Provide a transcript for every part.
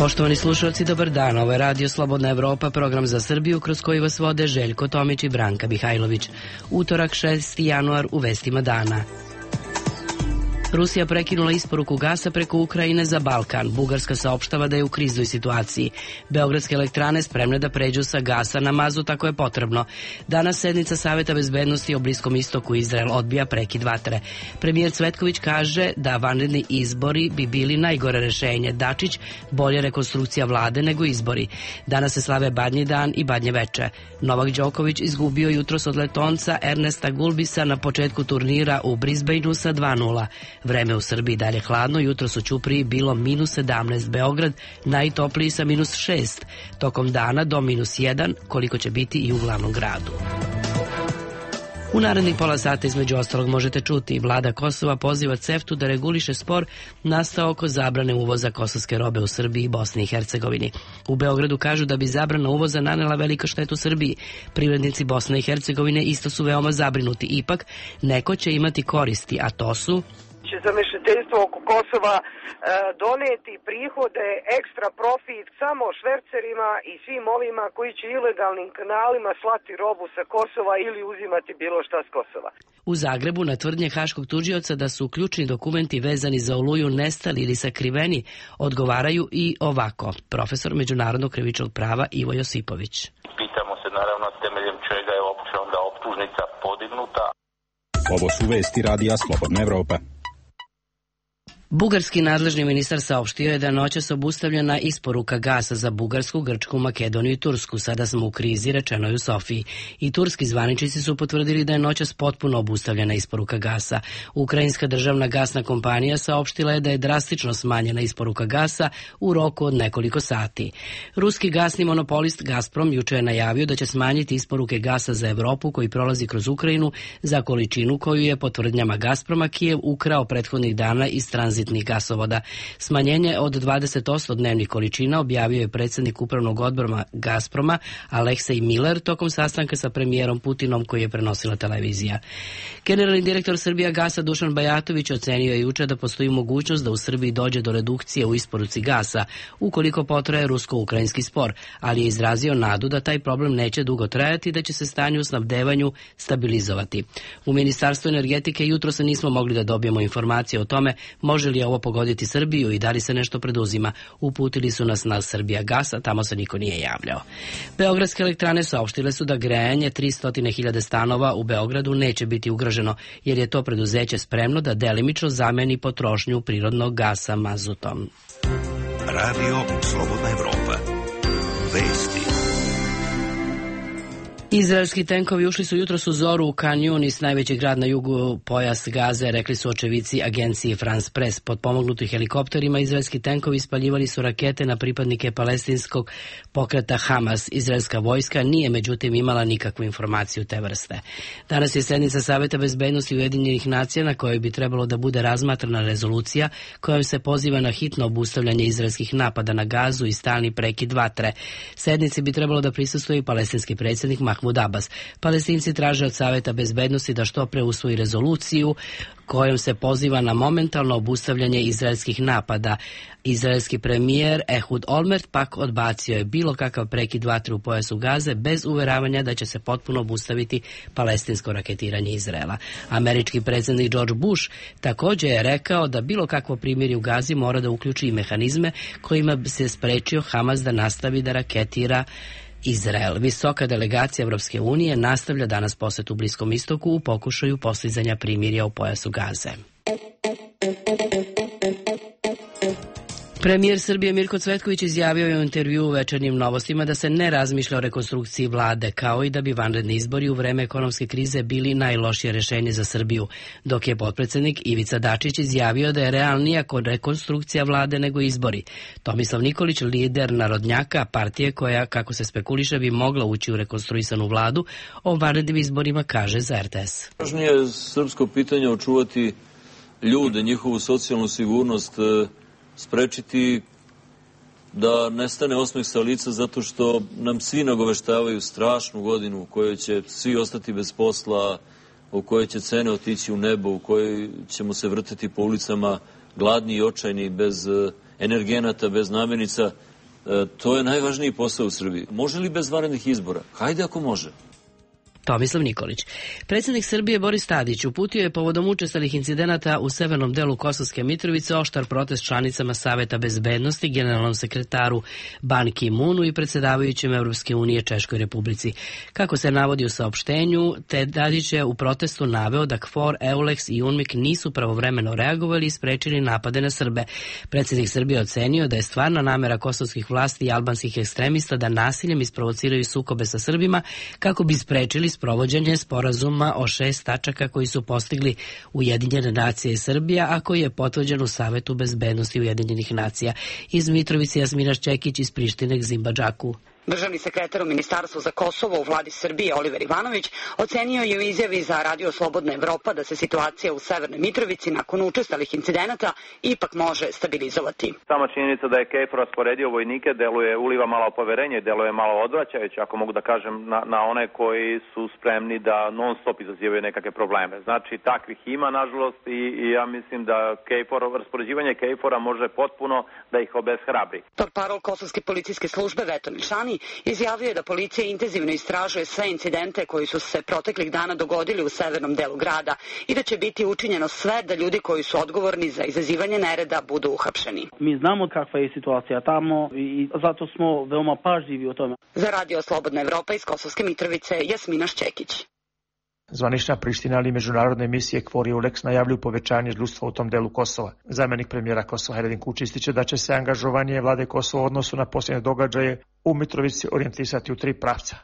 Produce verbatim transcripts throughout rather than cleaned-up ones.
Poštovani slušalci, dobar dan. Ovo je Radio Slobodna Evropa, program za Srbiju kroz koji vas vode Željko Tomić i Branka Mihajlović. Utorak šesti januar u vestima dana. Rusija prekinula isporuku gasa preko Ukrajine za Balkan. Bugarska saopštava da je u kriznoj situaciji. Beogradske elektrane spremne da pređu sa gasa na mazut ako je potrebno. Danas sednica Saveta bezbednosti o Bliskom istoku. Izrael odbija prekid vatre. Premijer Cvetković kaže da vanredni izbori bi bili najgore rešenje. Dačić, bolje rekonstrukcija vlade nego izbori. Danas se slave Badnji dan i Badnje veče. Novak Đoković izgubio jutros od Letonca Ernesta Gulbisa na početku turnira u Brisbaneu sa dva nula. Vreme u Srbiji dalje hladno, jutros u Ćupriji bilo minus sedamnaest, Beograd najtopliji sa minus šest, tokom dana do minus jedan, koliko će biti i u glavnom gradu. U narednih pola sata između ostalog možete čuti vlada Kosova poziva CEFTA-u da reguliše spor nastao oko zabrane uvoza kosovske robe u Srbiji i Bosni i Hercegovini. U Beogradu kažu da bi zabrana uvoza nanela velika štetu Srbiji. Privrednici Bosne i Hercegovine isto su veoma zabrinuti. Ipak, neko će imati koristi, a to su... će zamešateljstvo oko Kosova e, doneti prihode, ekstra profit samo švercerima i svim ovima koji će ilegalnim kanalima slati robu sa Kosova ili uzimati bilo šta s Kosova. U Zagrebu na tvrdnje haškog tužioca da su ključni dokumenti vezani za Oluju nestali ili sakriveni odgovaraju i ovako. Profesor međunarodnog krivičnog prava Ivo Josipović. Pitamo se naravno temeljem čega je uopće onda optužnica podignuta. Ovo su vesti Radija Slobodna Evropa. Bugarski nadležni ministar saopštio je da noćas obustavljena isporuka gasa za Bugarsku, Grčku, Makedoniju i Tursku. Sada smo u krizi, rečeno je u Sofiji. I turski zvaničnici su potvrdili da je noćas potpuno obustavljena isporuka gasa. Ukrajinska državna gasna kompanija saopštila je da je drastično smanjena isporuka gasa u roku od nekoliko sati. Ruski gasni monopolist Gazprom juče je najavio da će smanjiti isporuke gasa za Evropu koji prolazi kroz Ukrajinu za količinu koju je po tvrdnjama Gazproma Kijev ukrao prethodnih dana iz tranzitnih gasovoda. Smanjenje od dvadeset posto dnevnih količina objavio je predsjednik upravnog odbora Gazproma Aleksej Miller tokom sastanka sa premijerom Putinom koji je prenosila televizija. Generalni direktor Srbija Gasa Dušan Bajatović ocenio je juče da postoji mogućnost da u Srbiji dođe do redukcije u isporuci gasa ukoliko potraje rusko-ukrajinski spor, ali je izrazio nadu da taj problem neće dugo trajati i da će se stanje u snabdevanju stabilizovati. U Ministarstvu energetike jutro se nismo mogli da dobijemo informacije o tome može li ovo pogoditi Srbiju i da li se nešto preduzima. Uputili su nas na Srbija Gasa, tamo se niko nije javljao. Beogradske elektrane saopštile su da grejanje tristo hiljada stanova u Beogradu neće biti ugroženo, jer je to preduzeće spremno da delimično zameni potrošnju prirodnog gasa mazutom. Radio Slobodna Evropa. Vesti. Izraelski tenkovi ušli su jutros u zoru u Khan Yunis, najveći grad na jugu pojas Gaze, rekli su očevici agencije France Press. Pod pomognuti helikopterima izraelski tenkovi ispaljivali su rakete na pripadnike palestinskog pokreta Hamas. Izraelska vojska nije međutim imala nikakvu informaciju te vrste. Danas je sednica Saveta bezbednosti Ujedinjenih nacija na kojoj bi trebalo da bude razmatrana rezolucija kojom se poziva na hitno obustavljanje izraelskih napada na Gazu i stalni prekid vatre. Sednici bi trebalo da prisustvuje i palestinski predsjednik Mahmud Abbas. Palestinci traže od Saveta bezbednosti da što pre usvoji rezoluciju kojom se poziva na momentalno obustavljanje izraelskih napada. Izraelski premijer Ehud Olmert pak odbacio je bilo kakav prekid vatre u pojasu Gaze bez uveravanja da će se potpuno obustaviti palestinsko raketiranje Izraela. Američki predsjednik George Bush također je rekao da bilo kakvo primirje u Gazi mora da uključi i mehanizme kojima bi se sprečio Hamas da nastavi da raketira Izrael. Visoka delegacija Evropske unije nastavlja danas posjet u Bliskom istoku u pokušaju postizanja primirja u pojasu Gaze. Premijer Srbije Mirko Cvetković izjavio je u intervjuu u Večernjim novostima da se ne razmišlja o rekonstrukciji vlade, kao i da bi vanredni izbori u vreme ekonomske krize bili najlošije rešenje za Srbiju, dok je potpredsednik Ivica Dačić izjavio da je realnija rekonstrukcija vlade nego izbori. Tomislav Nikolić, lider narodnjaka, partije koja, kako se spekuliše, bi mogla ući u rekonstruisanu vladu, o vanrednim izborima kaže za R T S. Važnije je srpsko pitanje očuvati ljude, njihovu socijalnu sigurnost, sprečiti da nestane osmeh sa lica zato što nam svi nagoveštavaju strašnu godinu u kojoj će svi ostati bez posla, u kojoj će cene otići u nebo, u kojoj ćemo se vrteti po ulicama gladni i očajni, bez energenata, bez namirnica. To je najvažniji posao u Srbiji. Može li bez vanrednih izbora? Hajde ako može. Tomislav Nikolić. Predsjednik Srbije Boris Tadić uputio je povodom učestalih incidenata u severnom delu Kosovske Mitrovice oštar protest članicama Saveta bezbednosti, generalnom sekretaru Ban Ki-moonu i predsjedavajućem Evropske unije Češkoj Republici. Kako se navodi u saopštenju, Tadić je u protestu naveo da KFOR, EULEX i UNMIK nisu pravovremeno reagovali i sprečili napade na Srbe. Predsjednik Srbije ocenio da je stvarna namera kosovskih vlasti i albanskih ekstremista da nasiljem isprovociraju sukobe sa Srbima kako bi sprečili sprovođenje sporazuma o šest tačaka koji su postigli Ujedinjene nacije i Srbija, a koji je potvrđen u Savetu bezbednosti Ujedinjenih nacija. Iz Mitrovice Jasmina Šćekić, iz Prištine Gzimba Džaku. Državni sekretar u Ministarstvu za Kosovo u vladi Srbije Oliver Ivanović ocenio je u izjavi za Radio Slobodna Evropa da se situacija u Severnoj Mitrovici nakon učestalih incidenata ipak može stabilizovati. Sama činjenica da je KFOR rasporedio vojnike deluje, uliva malo poverenje, deluje malo odvraćajuće, ako mogu da kažem, na, na one koji su spremni da non stop izazivaju nekakve probleme. Znači, takvih ima, nažalost, i, i ja mislim da KFOR, raspoređivanje KFOR-a može potpuno da ih obeshrabri. Portparol Kosovske policijske službe Veto Milšani izjavio je da policija intenzivno istražuje sve incidente koji su se proteklih dana dogodili u severnom delu grada i da će biti učinjeno sve da ljudi koji su odgovorni za izazivanje nereda budu uhapšeni. Mi znamo kakva je situacija tamo i zato smo veoma pažljivi o tome. Za Radio Slobodna Evropa iz Kosovske Mitrovice, Jasmina Šćekić. Zvanična Priština ali međunarodne emisije KFOR i EULEX najavljuju povećanje žrtva u tom delu Kosova. Zamjenik premijera Kosova Hajdin Kučić ističe da će se angažovanje vlade Kosova u odnosu na posljednje događaje u Mitrovici orijentisati u tri pravca.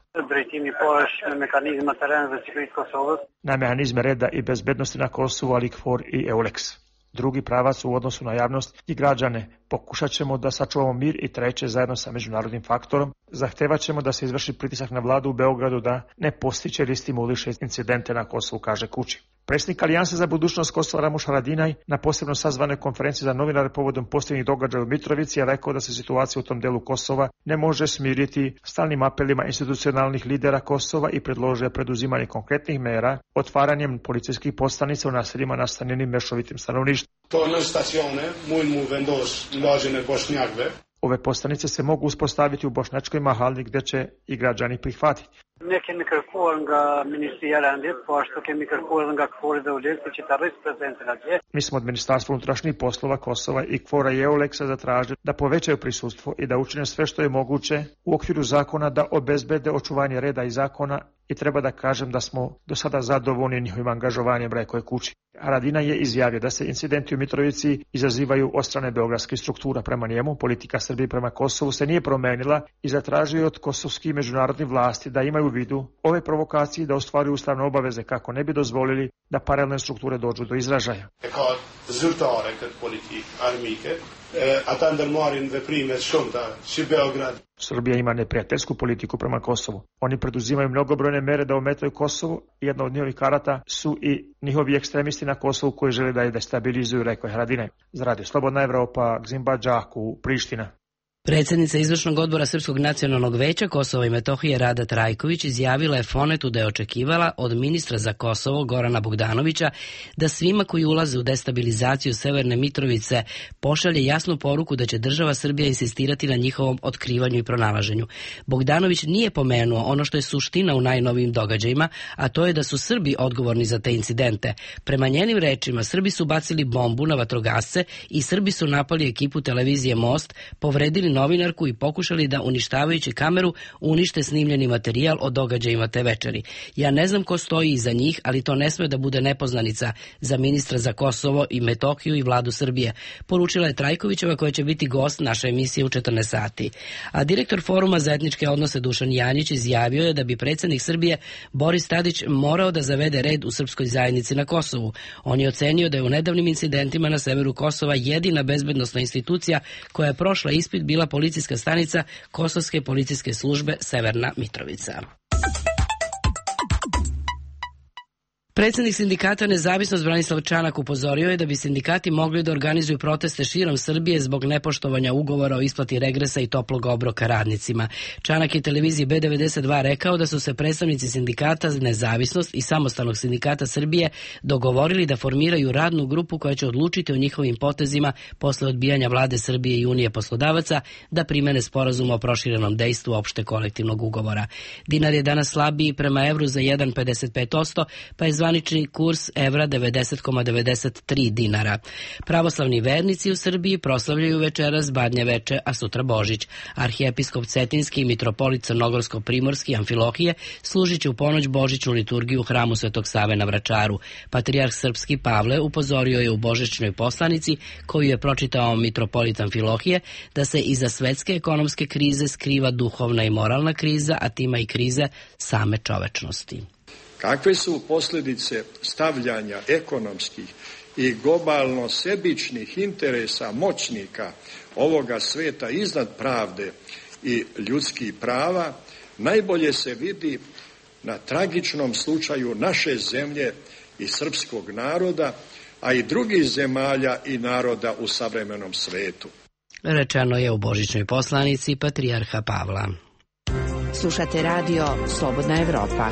Na mehanizme reda i bezbednosti na Kosovu, ali KFOR i EULEX. Drugi pravac u odnosu na javnost i građane. Pokušat ćemo da sačuvamo mir i treće, zajedno sa međunarodnim faktorom, zahtevat ćemo da se izvrši pritisak na vladu u Beogradu da ne postiče ili stimuliše incidente na Kosovu, kaže Kuči. Predsjednik Alijanse za budućnost Kosova Ramuš Haradinaj na posebno sazvanoj konferenciji za novinare povodom posljednjih događaja u Mitrovici je rekao da se situacija u tom delu Kosova ne može smiriti stalnim apelima institucionalnih lidera Kosova i predložio preduzimanje konkretnih mera otvaranjem policijskih postanica u naseljima nastanjenim mešovitim stanovništvom. Ove postanice se mogu uspostaviti u Bošnjačkoj Mahali gdje će i građani prihvatiti. Mi smo od Ministarstva unutrašnjih poslova Kosova i KFOR-a i EULEX-a zatražili da povećaju prisustvo i da učine sve što je moguće u okviru zakona da obezbede očuvanje reda i zakona i treba da kažem da smo do sada zadovoljni njihovim angažovanjem, rekao je Kuči. Haradina je izjavio da se incidenti u Mitrovici izazivaju od strane beogradskih struktura. Prema njemu, politika Srbije prema Kosovu se nije promenila i zatražio od kosovskih međunarodnih vlasti da imaju u vidu ove provokacije da ostvaruju ustavne obaveze kako ne bi dozvolili da paralelne strukture dođu do izražaja. Srbija ima neprijateljsku politiku prema Kosovu. Oni preduzimaju mnogobrojne mere da ometaju Kosovu. Jedna od njihovih karata su i njihovi ekstremisti na Kosovu koji žele da je destabilizuju, rekao je Haradinaj. Za Radio Slobodna Evropa, Gzimba Džaku, Priština. Predsjednica Izvršnog odbora Srpskog nacionalnog veća Kosova i Metohije Rada Trajković izjavila je Fonetu da je očekivala od ministra za Kosovo Gorana Bogdanovića da svima koji ulaze u destabilizaciju Severne Mitrovice pošalje jasnu poruku da će država Srbija insistirati na njihovom otkrivanju i pronalaženju. Bogdanović nije pomenuo ono što je suština u najnovijim događajima, a to je da su Srbi odgovorni za te incidente. Prema njenim rečima, Srbi su bacili bombu na vatrogasce i Srbi su napali ekipu televizije Most, povredili novinarku i pokušali da uništavajući kameru unište snimljeni materijal o događajima te večeri. Ja ne znam ko stoji iza njih, ali to ne sme da bude nepoznanica za ministra za Kosovo i Metohiju i vladu Srbije, poručila je Trajkovićeva koja će biti gost naše emisije u četrnaest sati. A direktor Foruma za etničke odnose Dušan Janjić izjavio je da bi predsjednik Srbije Boris Tadić morao da zavede red u srpskoj zajednici na Kosovu. On je ocenio da je u nedavnim incidentima na severu Kosova jedina bezbednosna institucija koja je prošla ispit bila policijska stanica Kosovske policijske službe Severna Mitrovica. Predsjednik sindikata Nezavisnost Branislav Čanak upozorio je da bi sindikati mogli da organizuju proteste širom Srbije zbog nepoštovanja ugovora o isplati regresa i toplog obroka radnicima. Čanak je televiziji B devedeset dva rekao da su se predstavnici sindikata Nezavisnost i Samostalnog sindikata Srbije dogovorili da formiraju radnu grupu koja će odlučiti o njihovim potezima posle odbijanja vlade Srbije i Unije poslodavaca da primene sporazum o proširenom dejstvu opšte kolektivnog ugovora. Dinar je danas slabiji prema evru za jedan zarez pedeset pet posto, pa je zvanični kurs evra devedeset zarez devedeset tri dinara. Pravoslavni vernici u Srbiji proslavljaju večeras Badnje veče, a sutra Božić. Arhijepiskop Cetinski i mitropolit Crnogorsko-Primorski Amfilohije služit će u ponoć božićnu liturgiju u hramu Svetog Save na Vračaru. Patrijarh srpski Pavle upozorio je u božićnoj poslanici, koju je pročitao mitropolit Amfilohije, da se iza svetske ekonomske krize skriva duhovna i moralna kriza, a tima i krize same čovečnosti. Kakve su posljedice stavljanja ekonomskih i globalno sebičnih interesa moćnika ovoga sveta iznad pravde i ljudskih prava, najbolje se vidi na tragičnom slučaju naše zemlje i srpskog naroda, a i drugih zemalja i naroda u savremenom svetu. Rečeno je u božićnoj poslanici Patrijarha Pavla. Slušate radio Slobodna Evropa.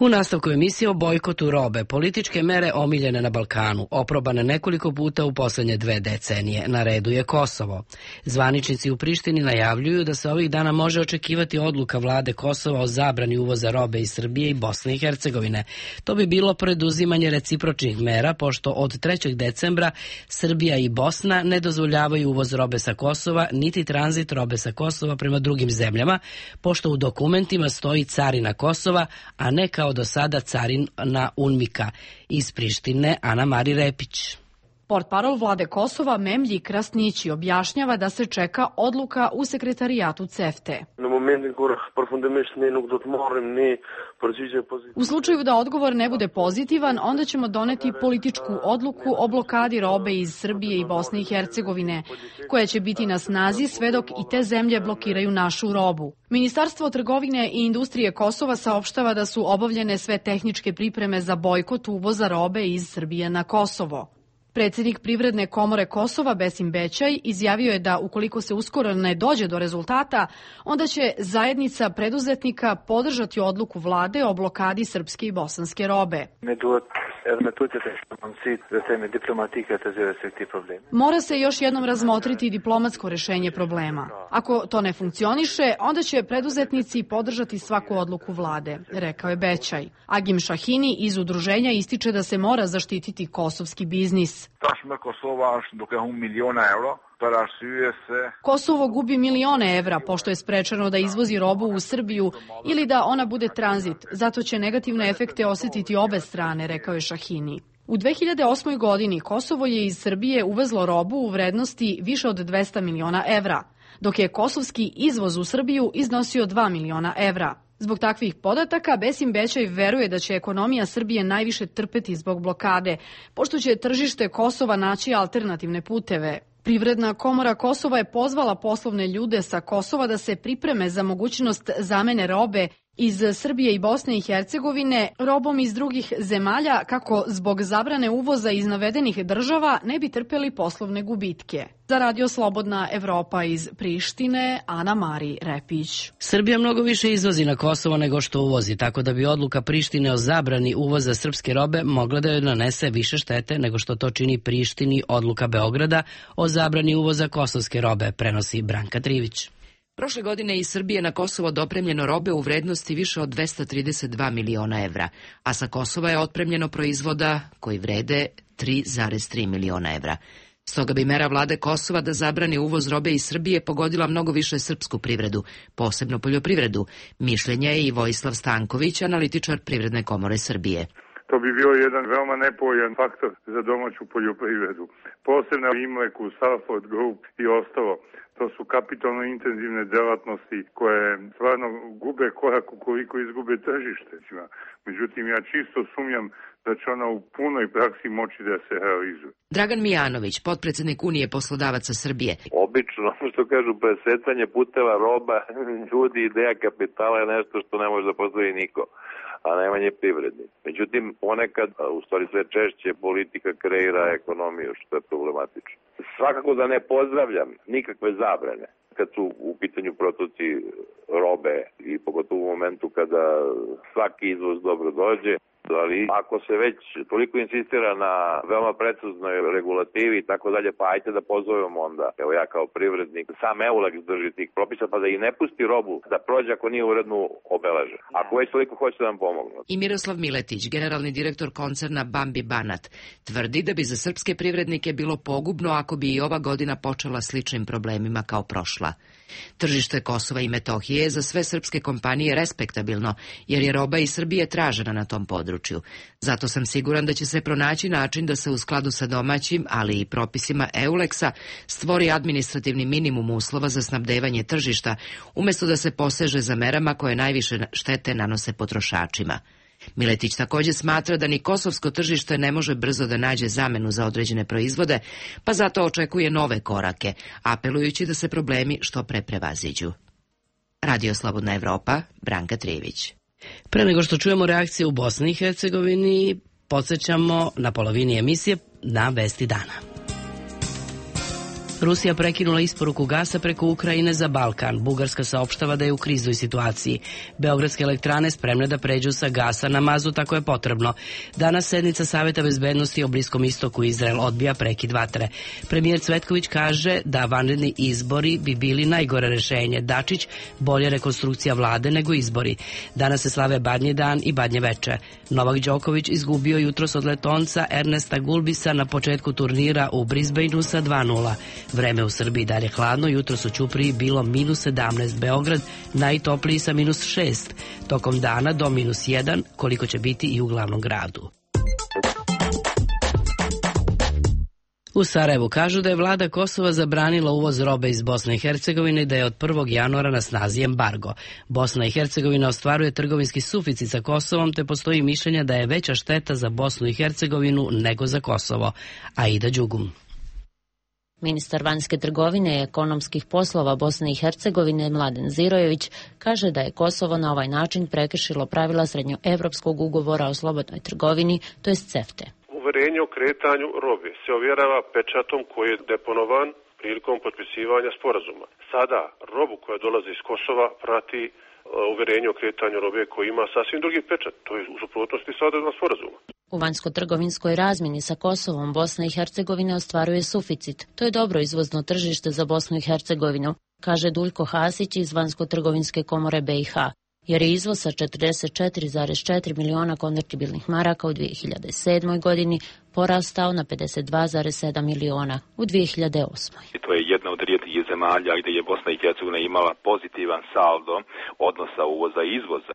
U nastavku emisije o bojkotu robe, političke mere omiljene na Balkanu, oprobane nekoliko puta u poslednje dve decenije. Na redu je Kosovo. Zvaničnici u Prištini najavljuju da se ovih dana može očekivati odluka vlade Kosova o zabrani uvoza robe iz Srbije i Bosne i Hercegovine. To bi bilo preduzimanje recipročnih mera, pošto od trećeg decembra Srbija i Bosna ne dozvoljavaju uvoz robe sa Kosova, niti tranzit robe sa Kosova prema drugim zemljama, pošto u dokumentima stoji carina Kosova, a ne kao do sada carina UNMIK-a. Iz Prištine Ana Mari Repić. Portparol vlade Kosova Memlji Krasnići objašnjava da se čeka odluka u sekretarijatu CEFTE. U slučaju da odgovor ne bude pozitivan, onda ćemo doneti političku odluku o blokadi robe iz Srbije i Bosne i Hercegovine, koja će biti na snazi sve dok i te zemlje blokiraju našu robu. Ministarstvo trgovine i industrije Kosova saopštava da su obavljene sve tehničke pripreme za bojkot uvoza robe iz Srbije na Kosovo. Predsjednik Privredne komore Kosova Besim Bećaj izjavio je da ukoliko se uskoro ne dođe do rezultata, onda će zajednica preduzetnika podržati odluku vlade o blokadi srpske i bosanske robe. Mora se još jednom razmotriti diplomatsko rešenje problema. Ako to ne funkcioniše, onda će preduzetnici podržati svaku odluku vlade, rekao je Bećaj. Agim Šahini iz udruženja ističe da se mora zaštititi kosovski biznis. Kosovo gubi milione evra pošto je sprečeno da izvozi robu u Srbiju ili da ona bude tranzit, zato će negativne efekte osjetiti obe strane, rekao je Šahini. U dve hiljade osmoj. godini Kosovo je iz Srbije uvezlo robu u vrednosti više od dvesta miliona evra, dok je kosovski izvoz u Srbiju iznosio dva miliona evra. Zbog takvih podataka, Besim Bećaj veruje da će ekonomija Srbije najviše trpeti zbog blokade, pošto će tržište Kosova naći alternativne puteve. Privredna komora Kosova je pozvala poslovne ljude sa Kosova da se pripreme za mogućnost zamene robe iz Srbije i Bosne i Hercegovine robom iz drugih zemalja kako zbog zabrane uvoza iz navedenih država ne bi trpeli poslovne gubitke. Za Radio Slobodna Evropa iz Prištine, Ana Mari Repić. Srbija mnogo više izvozi na Kosovo nego što uvozi, tako da bi odluka Prištine o zabrani uvoza srpske robe mogla da joj nanese više štete nego što to čini Prištini odluka Beograda o zabrani uvoza kosovske robe, prenosi Branka Trivić. Prošle godine iz Srbije na Kosovo dopremljeno robe u vrednosti više od dvesta trideset dva miliona evra, a sa Kosova je otpremljeno proizvoda koji vrede tri zarez tri miliona evra. Stoga bi mera vlade Kosova da zabrani uvoz robe iz Srbije pogodila mnogo više srpsku privredu, posebno poljoprivredu. Mišljenja je i Vojislav Stanković, analitičar Privredne komore Srbije. To bi bio jedan veoma nepovoljan faktor za domaću poljoprivredu. Posebno Imleku, Salford Group i ostalo. To su kapitalno intenzivne delatnosti koje stvarno gube korak ukoliko izgube tržište. Međutim, ja čisto sumnjam da će ona u punoj praksi moći da se realizuje. Dragan Mijanović, potpredsjednik Unije poslodavaca Srbije. Obično, što kažu, presecanje puteva roba, ljudi, ideja kapitala je nešto što ne može da postoji niko. a najmanje privrednik. Međutim, ponekad, u stvari sve češće, politika kreira ekonomiju, što je problematično. Svakako da ne pozdravljam nikakve zabrane kad su u pitanju protoci robe i pogotovo u momentu kada svaki izvoz dobro dođe. Ali ako se već toliko insistira na veoma preciznoj regulativi i tako dalje, pa ajte da pozovemo onda, evo ja kao privrednik, sam EULEX drži tih propisa, pa da i ne pusti robu da prođe ako nije uredno obeležen. Ako već toliko hoće da nam pomognu. I Miroslav Miletić, generalni direktor koncerna Bambi Banat, tvrdi da bi za srpske privrednike bilo pogubno ako bi i ova godina počela sličnim problemima kao prošla. Tržište Kosova i Metohije je za sve srpske kompanije respektabilno, jer je roba iz Srbije tražena na tom području. Zato sam siguran da će se pronaći način da se u skladu sa domaćim, ali i propisima EULEX-a stvori administrativni minimum uslova za snabdevanje tržišta, umjesto da se poseže za merama koje najviše štete nanose potrošačima. Miletić također smatra da ni kosovsko tržište ne može brzo da nađe zamenu za određene proizvode, pa zato očekuje nove korake, apelujući da se problemi što pre prevaziđu. Radio Slobodna Evropa, Branka Trijević. Pre nego što čujemo reakcije u Bosni i Hercegovini, podsjećamo na polovini emisije na vesti dana. Rusija prekinula isporuku gasa preko Ukrajine za Balkan. Bugarska saopštava da je u kriznoj situaciji. Beogradske elektrane spremne da pređu sa gasa na mazut ako je potrebno. Danas sednica Saveta bezbednosti o Bliskom istoku. Izrael odbija prekid vatre. Premijer Cvetković kaže da vanredni izbori bi bili najgore rešenje. Dačić, bolje rekonstrukcija vlade nego izbori. Danas se slave Badnji dan i Badnje veče. Novak Đoković izgubio jutros od Letonca Ernesta Gulbisa na početku turnira u Brisbaneu sa dva nula. Vreme u Srbiji dalje hladno, jutros u Ćupriji bilo minus sedamnaest, Beograd najtopliji sa minus šest, tokom dana do minus jedan, koliko će biti i u glavnom gradu. U Sarajevu kažu da je vlada Kosova zabranila uvoz robe iz Bosne i Hercegovine i da je od prvog januara na snazi embargo. Bosna i Hercegovina ostvaruje trgovinski suficit sa Kosovom, te postoji mišljenja da je veća šteta za Bosnu i Hercegovinu nego za Kosovo. Aida Đugum. Ministar vanjske trgovine i ekonomskih poslova Bosne i Hercegovine Mladen Zirojević kaže da je Kosovo na ovaj način prekršilo pravila srednjoevropskog ugovora o slobodnoj trgovini, to jest CEFTE. Uverenje o kretanju robe se ovjerava pečatom koji je deponovan prilikom potpisivanja sporazuma. Sada robu koja dolazi iz Kosova prati uverenje o kretanju robe koji ima sasvim drugi pečat, to je u suprotnosti sa odredbama sporazuma. U vanjsko-trgovinskoj razmjeni sa Kosovom Bosna i Hercegovina ostvaruje suficit. To je dobro izvozno tržište za Bosnu i Hercegovinu, kaže Duljko Hasić iz Vanjsko-trgovinske komore B i H, jer je izvoz sa četrdeset četiri zarez četiri miliona konvertibilnih maraka u dvije hiljade sedmoj godini porastao na pedeset dva zarez sedam miliona u dvije hiljade osmoj. To je jedna od rijetkih zemalja gdje je Bosna i Hercegovina imala pozitivan saldo odnosa uvoza i izvoza.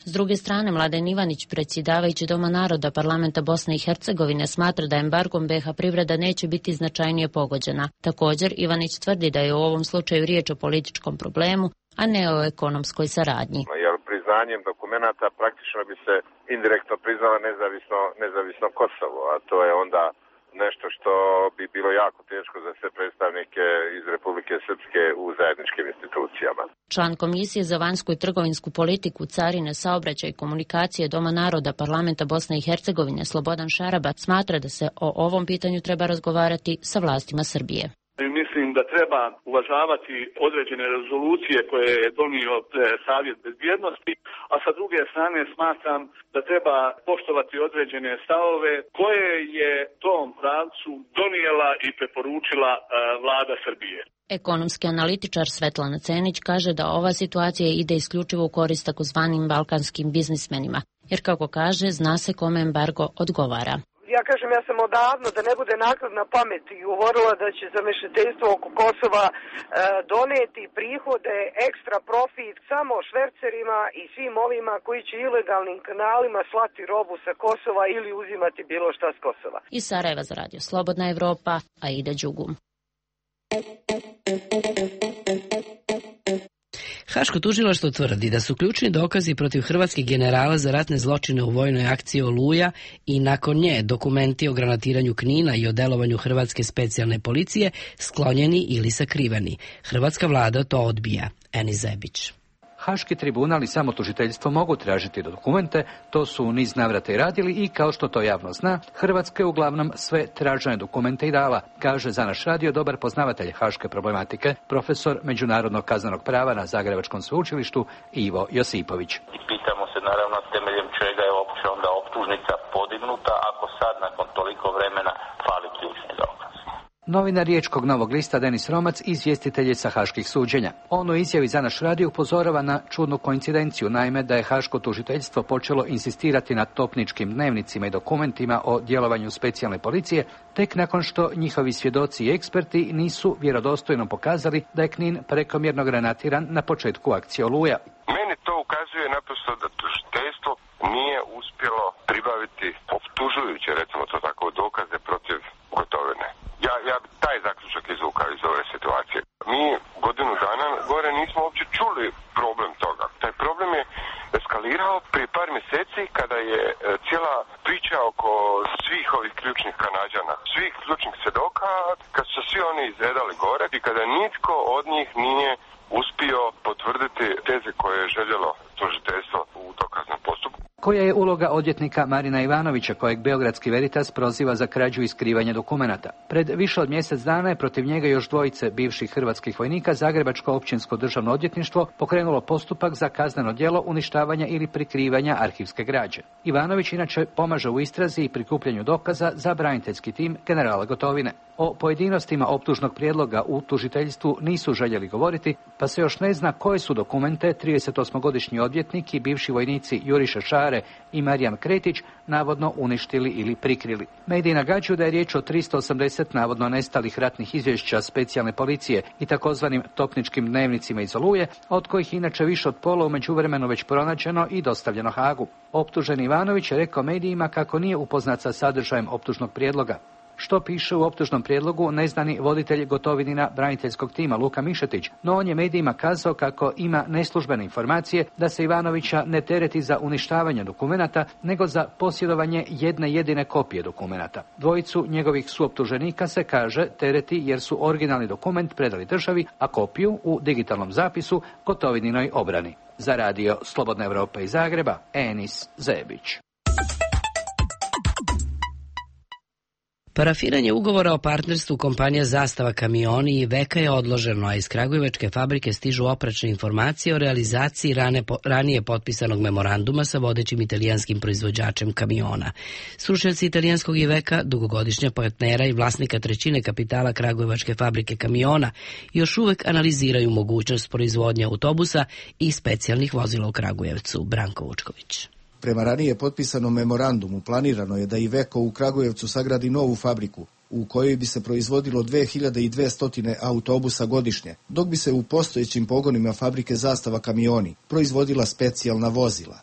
S druge strane, Mladen Ivanić, predsjedavajući Doma naroda Parlamenta Bosne i Hercegovine, smatra da embargom B iH privreda neće biti značajnije pogođena. Također, Ivanić tvrdi da je u ovom slučaju riječ o političkom problemu, a ne o ekonomskoj saradnji. Jer priznanjem dokumenata praktično bi se indirektno priznala nezavisno, nezavisno Kosovo, a to je onda nešto što bi bilo jako teško za sve predstavnike iz Republike Srpske u zajedničkim institucijama. Član Komisije za vanjsku i trgovinsku politiku, carine, saobraćaj i komunikacije Doma naroda Parlamenta Bosne i Hercegovine Slobodan Šarabac smatra da se o ovom pitanju treba razgovarati sa vlastima Srbije. Mislim da treba uvažavati određene rezolucije koje je donio Savjet bezbjednosti, a sa druge strane smatram da treba poštovati određene stavove koje je tom pravcu donijela i preporučila vlada Srbije. Ekonomski analitičar Svetlana Cenić kaže da ova situacija ide isključivo u korist takozvanim balkanskim biznismenima, jer kako kaže, zna se kome embargo odgovara. Ja kažem, ja sam odavno, da ne bude naknadna pamet, i govorila da će zamešateljstvo oko Kosova e, doneti prihode, ekstra profit samo švercerima i svim ovima koji će ilegalnim kanalima slati robu sa Kosova ili uzimati bilo šta s Kosova. Iz Sarajeva za Radio Slobodna Evropa, Aida Đugum. Haško tužilaštvo tvrdi da su ključni dokazi protiv hrvatskih generala za ratne zločine u vojnoj akciji Oluja i nakon nje dokumenti o granatiranju Knina i o delovanju hrvatske specijalne policije sklonjeni ili sakriveni. Hrvatska vlada to odbija. Eni Zebić. Haški tribunal i samo tužiteljstvo mogu tražiti dokumente, to su u niz navrata i radili i, kao što to javno zna, Hrvatska je uglavnom sve tražene dokumente i dala, kaže za naš radio dobar poznavatelj haške problematike, profesor međunarodnog kaznenog prava na Zagrebačkom sveučilištu Ivo Josipović. I pitamo se naravno temeljem čega je uopće onda optužnica podignuta ako sad nakon toliko vremena fali ključni dokaz. Novinar Riječkog Novog lista Denis Romac izvjestitelj je sa haških suđenja. On u izjavi za naš radio upozorava na čudnu koincidenciju, naime da je haško tužiteljstvo počelo insistirati na topničkim dnevnicima i dokumentima o djelovanju specijalne policije, tek nakon što njihovi svjedoci i eksperti nisu vjerodostojno pokazali da je Knin prekomjerno granatiran na početku akcije Oluja. Meni to ukazuje naprosto da tužiteljstvo nije uspjelo pribaviti optužujuće, recimo to tako, dokaze protiv Gotovine. Ja, ja bi taj zaključak izvukao iz ove situacije. Mi godinu dana gore nismo uopće čuli problem toga. Taj problem je eskalirao prije par mjeseci kada je cijela priča oko svih ovih ključnih Kanađana, svih ključnih svjedoka, kad su svi oni izredali gore i kada nitko od njih nije uspio potvrditi teze koje je željelo tužiteljstvo u dokaznom postupku. Koja je uloga odvjetnika Marina Ivanovića, kojeg Beogradski Veritas proziva za krađu i skrivanje dokumenata? Pred više od mjesec dana je protiv njega još dvojice bivših hrvatskih vojnika Zagrebačko općinsko državno odvjetništvo pokrenulo postupak za kazneno djelo uništavanja ili prikrivanja arhivske građe. Ivanović inače pomaže u istrazi i prikupljanju dokaza za braniteljski tim generala Gotovine. O pojedinostima optužnog prijedloga u tužiteljstvu nisu željeli govoriti, pa se još ne zna koje su dokumente tridesetosmogodišnji odvjetnik i bivši vojnici Juriša Šare i Marijan Kretić navodno uništili ili prikrili. Mediji nagađaju da je riječ o tristo osamdeset navodno nestalih ratnih izvješća specijalne policije i takozvanim topničkim dnevnicima iz Oluje, od kojih inače više od pola u međuvremenu već pronađeno i dostavljeno Hagu. Optuženi Ivanović je rekao medijima kako nije upoznat sa sadržajem optužnog prijedloga. Što piše u optužnom prijedlogu ne zna ni voditelj Gotovinina braniteljskog tima Luka Mišetić, no on je medijima kazao kako ima neslužbene informacije da se Ivanovića ne tereti za uništavanje dokumenata, nego za posjedovanje jedne jedine kopije dokumenata. Dvojicu njegovih suoptuženika se kaže tereti jer su originalni dokument predali državi, a kopiju u digitalnom zapisu Gotovininoj obrani. Za radio Slobodna Evropa iz Zagreba, Enis Zebić. Parafiranje ugovora o partnerstvu kompanija Zastava kamioni i Veka je odloženo, a iz kragujevačke fabrike stižu oprečne informacije o realizaciji rane, ranije potpisanog memoranduma sa vodećim italijanskim proizvođačem kamiona. Stručnjaci italijanskog Iveka, dugogodišnja partnera i vlasnika trećine kapitala kragujevačke fabrike kamiona, još uvek analiziraju mogućnost proizvodnje autobusa i specijalnih vozila u Kragujevcu. Branko Vučković. Prema ranije potpisanom memorandumu planirano je da Iveco u Kragujevcu sagradi novu fabriku u kojoj bi se proizvodilo dve hiljade dvesta autobusa godišnje, dok bi se u postojećim pogonima fabrike Zastava kamioni proizvodila specijalna vozila.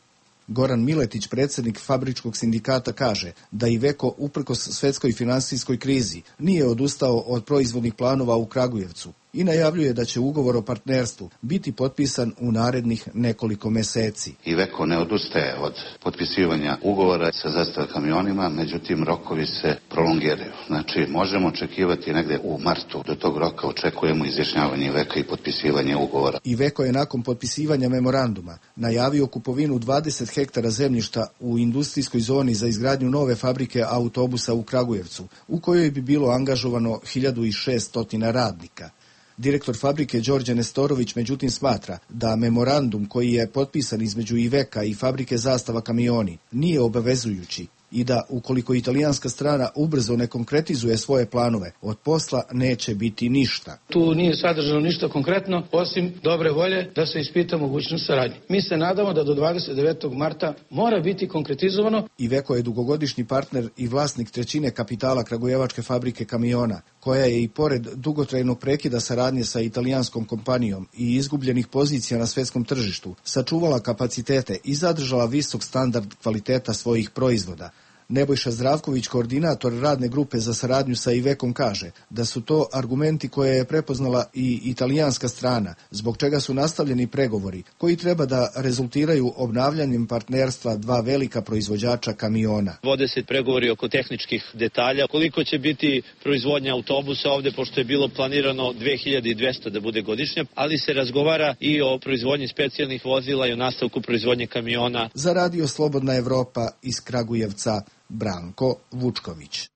Goran Miletić, predsjednik fabričkog sindikata, kaže da Iveco uprkos svetskoj finansijskoj krizi nije odustao od proizvodnih planova u Kragujevcu i najavljuje da će ugovor o partnerstvu biti potpisan u narednih nekoliko mjeseci. Iveco ne odustaje od potpisivanja ugovora sa Zastava kamionima, međutim rokovi se prolongiraju. Znači možemo očekivati negdje u martu, do tog roka očekujemo izjašnjavanje Iveca i potpisivanje ugovora. Iveco je nakon potpisivanja memoranduma najavio kupovinu dvadeset hektara zemljišta u industrijskoj zoni za izgradnju nove fabrike autobusa u Kragujevcu, u kojoj bi bilo angažovano hiljadu šessto radnika. Direktor fabrike Đorđe Nestorović međutim smatra da memorandum koji je potpisan između Iveca i fabrike Zastava kamioni nije obavezujući i da ukoliko italijanska strana ubrzo ne konkretizuje svoje planove, od posla neće biti ništa. Tu nije sadržano ništa konkretno, osim dobre volje da se ispita mogućnost saradnje. Mi se nadamo da do dvadeset devetog marta mora biti konkretizovano. Iveco je dugogodišnji partner i vlasnik trećine kapitala kragujevačke fabrike kamiona, koja je i pored dugotrajnog prekida saradnje sa italijanskom kompanijom i izgubljenih pozicija na svjetskom tržištu, sačuvala kapacitete i zadržala visok standard kvaliteta svojih proizvoda. Nebojša Zdravković, koordinator radne grupe za saradnju sa Ivekom, kaže da su to argumenti koje je prepoznala i italijanska strana, zbog čega su nastavljeni pregovori koji treba da rezultiraju obnavljanjem partnerstva dva velika proizvođača kamiona. Vode se pregovori oko tehničkih detalja. Koliko će biti proizvodnja autobusa ovde, pošto je bilo planirano dve hiljade dvesta da bude godišnja, ali se razgovara i o proizvodnji specijalnih vozila i o nastavku proizvodnje kamiona. Za Radio Slobodna Evropa iz Kragujevca, Branko Vučković.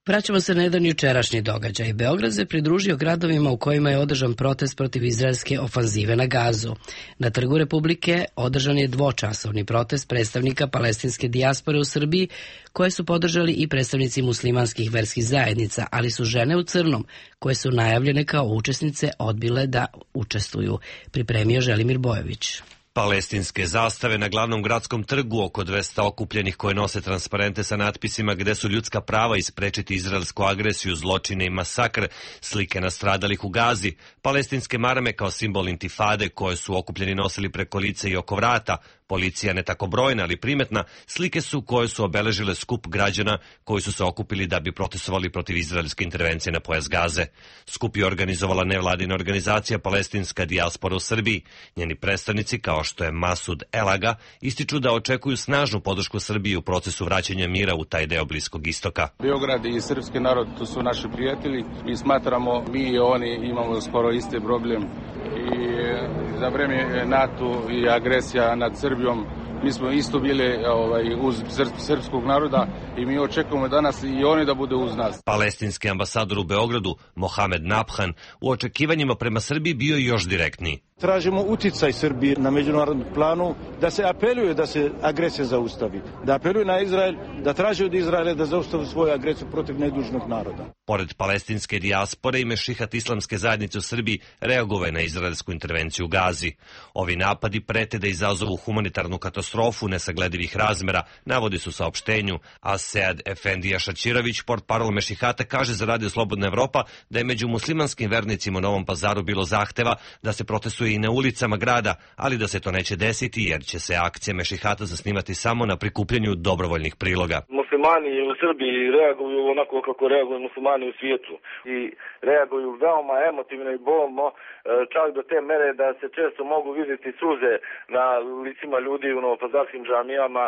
Vraćamo se na jedan jučerašnji događaj. Beograd se pridružio gradovima u kojima je održan protest protiv izraelske ofanzive na Gazu. Na Trgu Republike održan je dvočasovni protest predstavnika palestinske dijaspore u Srbiji, koje su podržali i predstavnici muslimanskih verskih zajednica, ali su žene u crnom, koje su najavljene kao učesnice, odbile da učestvuju. Pripremio Želimir Bojović. Palestinske zastave na glavnom gradskom trgu, oko dvesta okupljenih koje nose transparente sa natpisima gde su ljudska prava i sprečiti izraelsku agresiju, zločine i masakr, slike nastradalih u Gazi, palestinske marame kao simbol intifade koje su okupljeni nosili preko lice i oko vrata, policija ne tako brojna, ali primetna, slike su koje su obeležile skup građana koji su se okupili da bi protestovali protiv izraelske intervencije na pojas Gaze. Skup je organizovala nevladina organizacija Palestinska dijaspora u Srbiji. Njeni predstavnici, kao što je Masud Elaga, ističu da očekuju snažnu podršku Srbiji u procesu vraćanja mira u taj deo Bliskog istoka. Beograd i srpski narod, to su naši prijatelji. Mi smatramo, mi i oni imamo skoro isti problem. I za vreme NATO i agresija nad Srbijom mi smo isto bili ovaj, uz srpskog naroda i mi očekujemo danas i oni da bude uz nas. Palestinski ambasador u Beogradu, Mohamed Nabhan, u očekivanjima prema Srbiji bio još direktniji. Tražimo uticaj Srbije na međunarodnom planu da se apeluje da se agresija zaustavi, da apeluje na Izrael, da traži od Izraela da zaustavi svoju agresiju protiv nedužnog naroda. Pored palestinske dijaspore i mešihat islamske zajednice u Srbiji reagovao je na izraelsku intervenciju u Gazi. Ovi napadi prete da izazovu humanitarnu katastrofu nesagledivih razmera, navodi su saopštenju, a Sead Efendija Šačirović, portparol mešihata, kaže za Radio Slobodna Evropa da je među muslimanskim vernicima u Novom Pazaru bilo zahteva da se protestuje i na ulicama grada, ali da se to neće desiti jer će se akcija mešihata zasnivati samo na prikupljanju dobrovoljnih priloga. Muslimani u Srbiji reaguju onako kako reaguju muslimani u svijetu i reaguju veoma emotivno i bolno, čak do te mere da se često mogu vidjeti suze na licima ljudi u novopazarskim džamijama.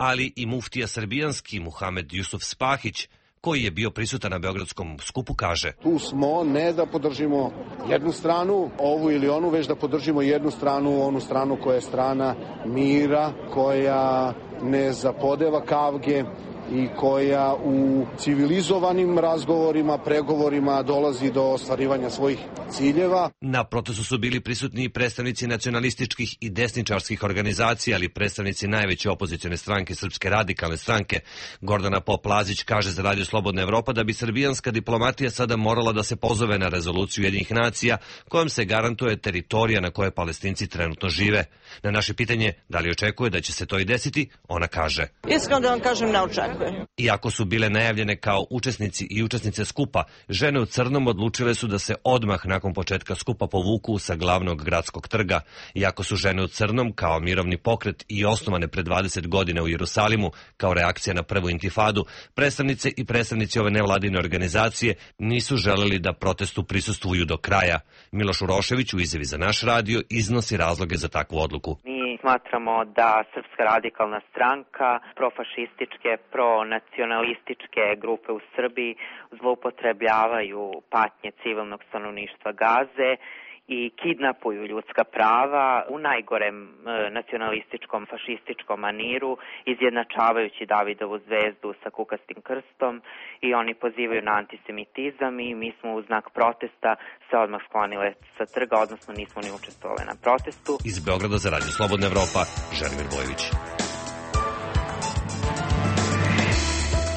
Ali i muftija srbijanski Muhamed Jusuf Spahić, koji je bio prisutan na beogradskom skupu, kaže: Tu smo ne da podržimo jednu stranu, ovu ili onu, već da podržimo jednu stranu, onu stranu koja je strana mira, koja ne zapodeva kavge i koja u civilizovanim razgovorima, pregovorima dolazi do ostvarivanja svojih ciljeva. Na protestu su bili prisutni i predstavnici nacionalističkih i desničarskih organizacija, ali predstavnici najveće opozicione stranke, Srpske radikalne stranke. Gordana Pop-Lazić kaže za Radio Slobodna Evropa da bi srbijanska diplomatija sada morala da se pozove na rezoluciju Ujedinjenih nacija kojom se garantuje teritorija na kojoj Palestinci trenutno žive. Na naše pitanje da li očekuje da će se to i desiti, ona kaže: Iskreno da vam kažem, ne očekujem. Iako su bile najavljene kao učesnici i učesnice skupa, žene u crnom odlučile su da se odmah nakon početka skupa povuku sa glavnog gradskog trga. Iako su žene u crnom kao mirovni pokret i osnovane pre dvadeset godina u Jerusalimu kao reakcija na prvu intifadu, predstavnice i predstavnici ove nevladine organizacije nisu želeli da protestu prisustvuju do kraja. Miloš Urošević u izjavi za naš radio iznosi razloge za takvu odluku. Smatramo da Srpska radikalna stranka, profašističke, pronacionalističke grupe u Srbiji zloupotrebljavaju patnje civilnog stanovništva Gaze i kidnapuju ljudska prava u najgorem e, nacionalističkom, fašističkom maniru, izjednačavajući Davidovu zvezdu sa kukastim krstom, i oni pozivaju na antisemitizam i mi smo u znak protesta se odmah sklonile sa trga, odnosno nismo ni učestvovali na protestu. Iz Beograda za Radio Slobodna Evropa, Želimir Bojović.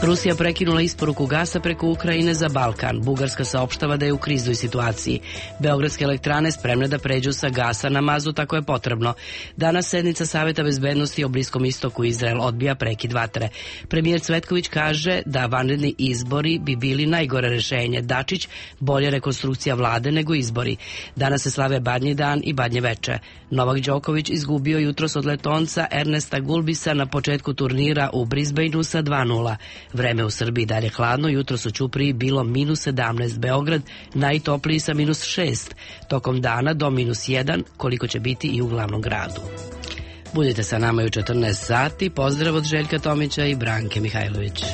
Rusija prekinula isporuku gasa preko Ukrajine za Balkan. Bugarska saopštava da je u kriznoj situaciji. Beogradske elektrane spremne da pređu sa gasa na mazut ako je potrebno. Danas sednica Saveta bezbednosti o Bliskom istoku. Izrael odbija prekid vatre. Premijer Cvetković kaže da vanredni izbori bi bili najgore rešenje. Dačić, bolje rekonstrukcija vlade nego izbori. Danas se slave Badnji dan i Badnje veče. Novak Đoković izgubio jutros od Letonca Ernesta Gulbisa na početku turnira u Brisbaneu sa dva nula. Vreme u Srbiji dalje hladno, jutros u Ćupriji bilo minus sedamnaest, Beograd najtopliji sa minus šest, tokom dana do minus jedan, koliko će biti i u glavnom gradu. Budite sa nama i u četrnaest sati, pozdrav od Željka Tomića i Branke Mihajlović.